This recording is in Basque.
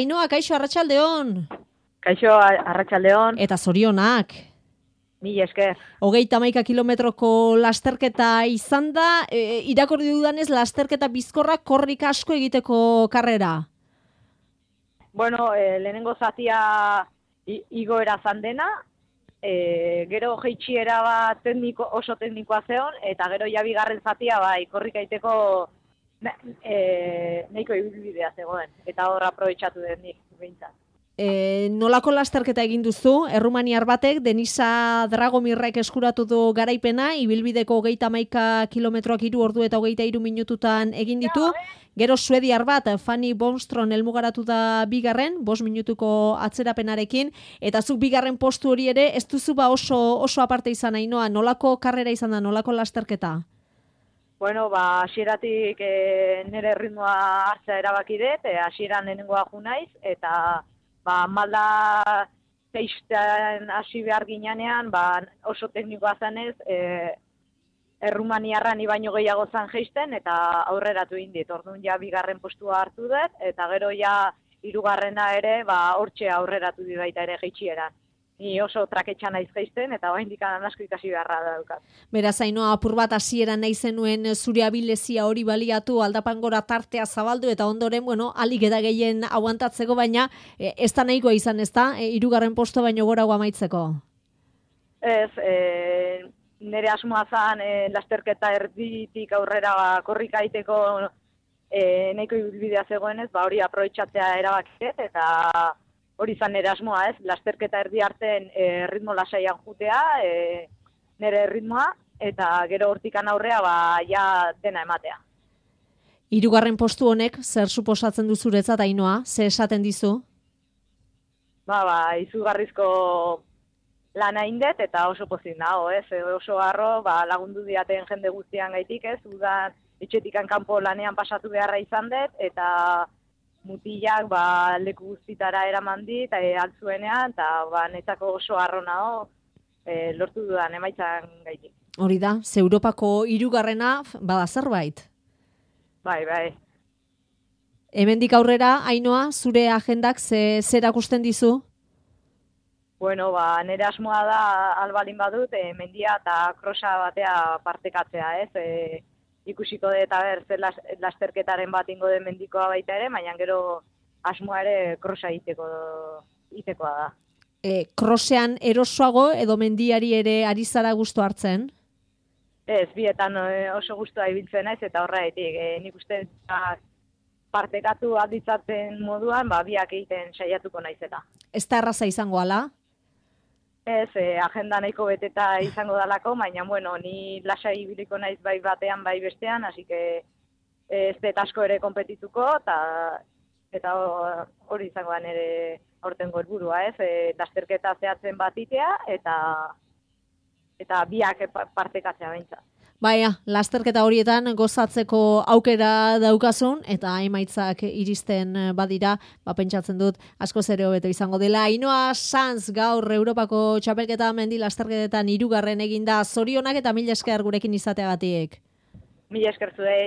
Ainhoa, kaixo, arratsaldeon. Kaixo, arratsaldeon. Eta zorionak. Mila esker. 31 kilometroko lasterketa izan da, irakurri dudanez lasterketa bizkorra korrik asko egiteko karrera. Bueno, lehenengo zatia igoera zandena, gero jeitsiera bat oso teknikoa zeon, eta gero ja bigarren zatia bai korrik egiteko nahiko ibilbidea zegoen, eta hor aprobetxatu den nik behintzat. Nolako lasterketa egin duzu? Errumaniar batek, Denisa Dragomirrek eskuratu du garaipena, ibilbideko 31 kilometroak 3 ordu eta 23 minututan egin ditu. Gero suediar bat, Fanny Bonstron helmugaratu da bigarren, 5 minutuko atzerapenarekin, eta zuk bigarren postu hori ere, ez duzu ba oso aparte izan Ainhoa, nolako karrera izan da, nolako lasterketa? Bueno, hasieratik nire ritmoa hartzea erabaki dut, hasieran lehenengoa ju naiz, eta malda zeiztean hasi behar ginean, oso teknikoa zanez, Errumaniarra ni baino gehiago zan jeisten, eta aurreratu indit. Orduan ja bigarren postua hartu dut, eta gero ja hirugarrena ere, hortxe aurreratu di baita ere jeitsieran. Ni oso traketxan naiz jeisten, eta oraindik asko ikasi beharra daukat. Beraz, Ainhoa, apur bat hasieran nahi zenuen zure abilezia hori baliatu, aldapangora tartea zabaldu, eta ondoren, alik eta gehien aguantatzeko, baina ez da nahikoa izan, ez da? Hirugarren posto baino gorago amaitzeko. Ez, nire asmoa zan lasterketa erditik aurrera korrika egiteko nahiko ibilbidea zegoenez, hori aprobetxatzea erabakit, eta hori izan nire asmoa, ez? Lasterketa erdi arten ritmo lasaian jutea, nire ritmoa, eta gero hortikan aurrea ja dena ematea. Hirugarren postu honek, zer suposatzen du zuretzat, Ainhoa? Ze esaten dizu? Izugarrizko lana indet, eta oso pozik nago, ez? Oso harro, lagundu diaten jende guztian gaitik, ez? Udan etxetikan kanpo lanean pasatu beharra izan dut, eta mutilak leku guztitara eraman dit, altzuenean, eta netzako oso harro nago lortu dudan emaitzan gaitik. Hori da, ze Europako hirugarrena bada zerbait? Bai. Hemendik aurrera, Ainhoa, zure agendak zer akusten dizu? Bueno, nire asmoa da albalin badut, mendia eta krosa batea partekatzea, ez? Ikusiko dut eta zer lasterketaren bat ingo den mendikoa baita ere, baina gero asmoa ere krosa itekoa da. Krosean erosoago edo mendiari ere ari zara gustu hartzen? Ez, bietan oso gustua ibiltzen naiz eta horregatik. Nik uste partekatu aditzatzen moduan, biak egiten saiatuko naiz eta. Ez da erraza izango ala? Ez, agenda nahiko beteta izango dalako, baina, ni lasai ibiliko naiz bai batean, bai bestean, hasi que ez dut asko ere konpetituko, eta hori izango da nire aurtengo helburua, ez? Lasterketa zehatzen bat itea, eta biak partekatzea behintzat. Baina, lasterketa horietan gozatzeko aukera daukazun, eta emaitzak iristen badira, pentsatzen dut, askoz ere hobeto izango dela. Ainhoa Sanz gaur Europako txapelketa mendi lasterketetan 3. eginda, zorionak eta mila esker gurekin izateagatik. Mila esker zuei.